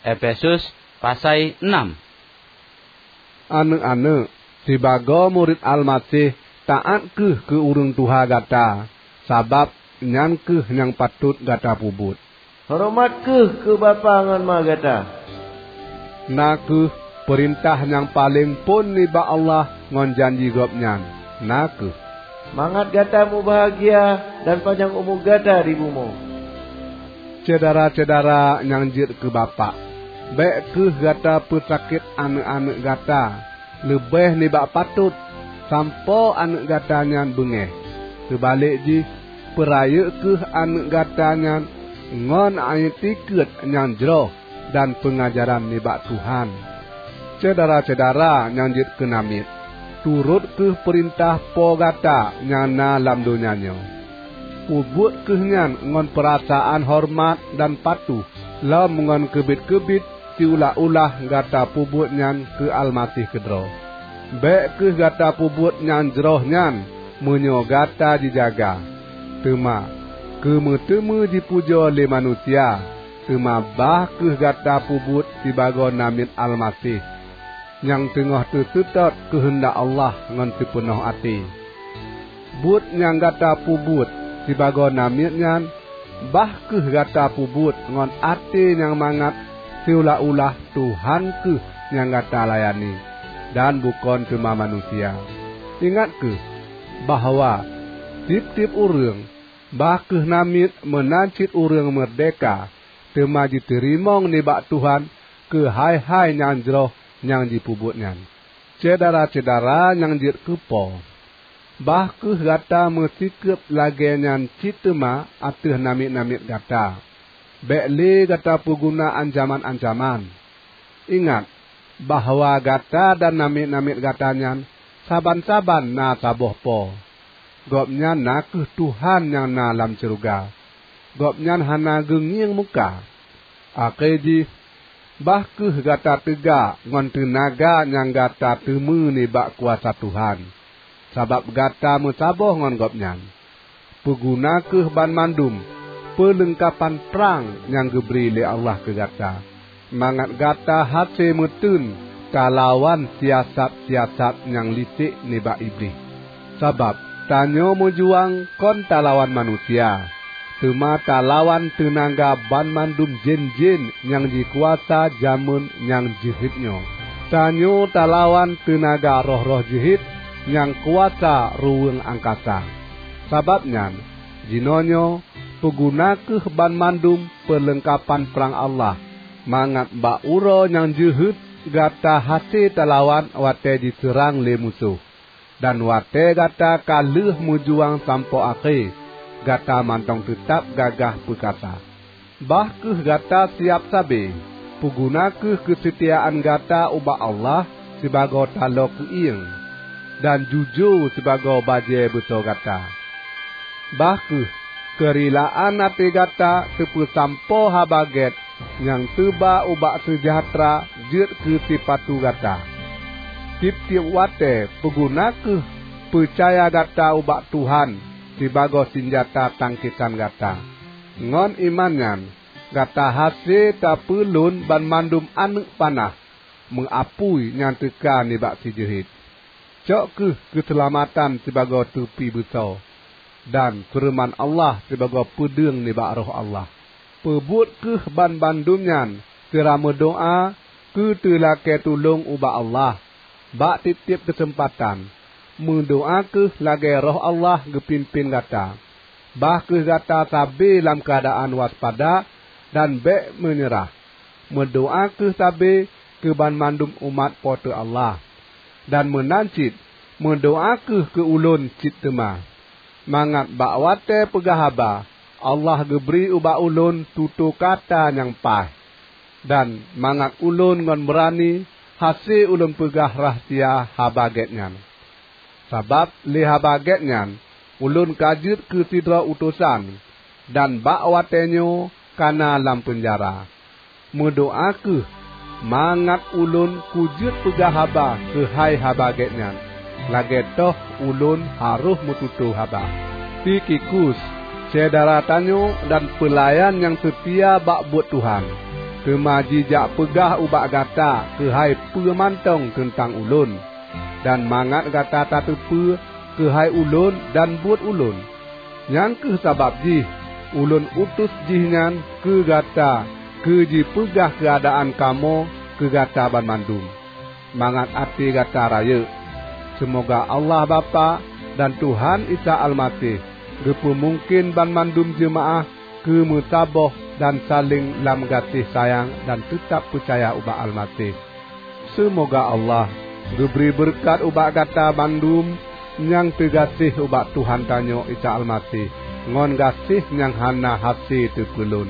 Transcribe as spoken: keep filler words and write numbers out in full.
Efesus pasai enam. Aneuëk-aneuëk, sibagoe murit Almaseh, taát kheueh keu ureuëng tuha gata, sabab nyan kheueh nyang patot gata peubuet. Horeumat kheueh keu bapak ngon ma gata. Na kheueh peurintah nyang paleng phon nibak Allah ngon janji Gobnyan, na kheueh, "Mangat gata mubahgia dan panyang umu gata di bumoe." Syedara-syedara nyang jeuet keu bapak, bék kheueh gata peusakét aneuëk-aneuëk gata leubeh nibak patot, sampoe aneuëk gata nyan beungéh. Seubalek jih, peurayeuk kheueh aneuëk gata nyan ngon até tikeue nyang jroh dan peungajaran nibak Tuhan. Syedara-syedara nyang jeuet keu namiet, turot kheueh peurintah po gata nyang na lam donya nyoe. Peubuet kheueh nyan ngon peurasaan horeumat dan patuh, lom ngon keubiet-keubiet siulah-ulah gata peubuet nyan keu Almaseh keudroe. Bék kheueh gata peubuet nyang jroh nyan meunyoe gata jijaga, teuma keu meuteumé jipujoe lé manusia, teuma bah kheueh gata peubuet sibagoe namiet Almaseh, nyang teungoh teuseutôt keuheundak Allah ngon sipeunoh até. Buet nyang gata peubuet sibagoe namiet nyan, bah kheueh gata peubuet ngon até nyang mangat siulah-ulah Tuhan kheueh nyang gata layani, dan bukon teuma manusia. Ingat kheueh bahwa tieb-tieb ureuëng, bah kheueh namiet meunan cit ureuëng meurdehka, teuma jiteurimong nibak Tuhan keu hai-hai nyang jroh nyang jipeubuet nyan. Syedara-syedara nyang jeuet keu po, bah kheueh gata meusikeueb lagée nyan cit teuma ateueh namiet-namiet gata. Bék lé gata peuguna ancaman-ancaman. Ingat bahwa gata dan namiet-namiet gata nyan saban-saban na saboh Po. Gobnyan na kheueh Tuhan nyang na lam syeuruga. Gobnyan hana geungieng muka. Akhé jih, bah kheueh gata teuga ngon teunaga nyang gata teumé nibak kuasa Tuhan, sabab gata meusaboh ngon Gobnyan. Peuguna kheueh banmandum peuleungkapan prang nyang geubri lé Allah keu gata, mangat gata hase meuteun talawan siasat-siasat nyang licek nibak Iblih. Sabab tanyoe meujuang kon talawan manusia, teuma talawan teunaga banmandum jén-jén nyang jikuasa jamén nyang jeuhet nyoe. Tanyoe talawan teunaga roh-roh jeuhet nyang kuasa ruweueng angkasa. Sabab nyan, jinoenyoe peuguna kheueh banmandum peuleungkapan prang Allah, mangat bak uroe nyang jeuhet gata hase talawan watée jiseurang lé musoh. Dan watée gata ka lheueh meujuang sampoe akhé, gata mantong teutab gagah peukasa. Bah kheueh gata siab sabe, peuguna kheueh keusitiaan gata ubak Allah sibagoe taloe keuieng, dan jujoe sibagoe bajée beusoe gata. Bah kheueh keurilaan até gata teupeusampoe Haba Gét nyang teuba ubak seujahteura jeuet keu sipatu gata. Tieb-tieb watée peuguna kheueh peucaya gata ubak Tuhan sibagoe sinjata tangkesan gata. Ngon iman nyan, gata hase tapeulon banmandum aneuëk panah meuapui nyang teuka nibak si jeuhet. Cok kheueh keuseulamatan sibagoe teupi beusoe, dan feureuman Allah sibagoe peudeueng nibak Roh Allah. Peubuet kheueh banmandum nyan sira meudoá keu teulakée tulông ubak Allah. Bak tieb-tieb keuseumpatan, meudoá kheueh lagée Roh Allah geupimpén gata. Bah kheueh gata sabe lam keuadaan waspada dan bék meunyeurah. Meudoá kheueh sabe keu banmandum umat Po teu Allah. Dan meunan cit meudoá kheueh keu ulôn cit teuma, mangat bak watée peugah haba, Allah geubri ubak ulôn tutoe kata nyang paih, dan mangat ulôn ngon beurani hase ulôn peugah rahsia Haba Gét nyan. Sabab lé Haba Gét nyan ulôn ka jeuet keu sidroe utosan, dan bak watée nyoe ka na lam peunjara. Meudoá kheueh mangat ulôn kujeuet peugah haba keuhai Haba Gét nyan, lagée toh ulôn harôh meututoe haba. Tikhikus, syedara tanyoe dan peulayan nyang seutia bak buet Tuhan, teuma jijak peugah ubak gata keuhai peue mantong teuntang ulôn, dan mangat gata tateupeue keuhai ulôn dan buet ulôn. Nyang kheueh sabab jih ulôn utus jihnyan keu gata keu jipeugah keuadaan kamoe keu gata banmandum, mangat até gata rayeuk. Seumoga Allah Bapak dan Tuhan Isa Almaseh geupeumungken banmandum jeumaáh keu meusaboh dan saléng lam gaséh sayang dan teutab peucaya ubak Almaseh. Seumoga Allah geubri beureukat ubak gata bandum nyang teugaséh ubak Tuhan tanyoe Isa Almaseh ngon gaséh nyang hana hase teupeulon.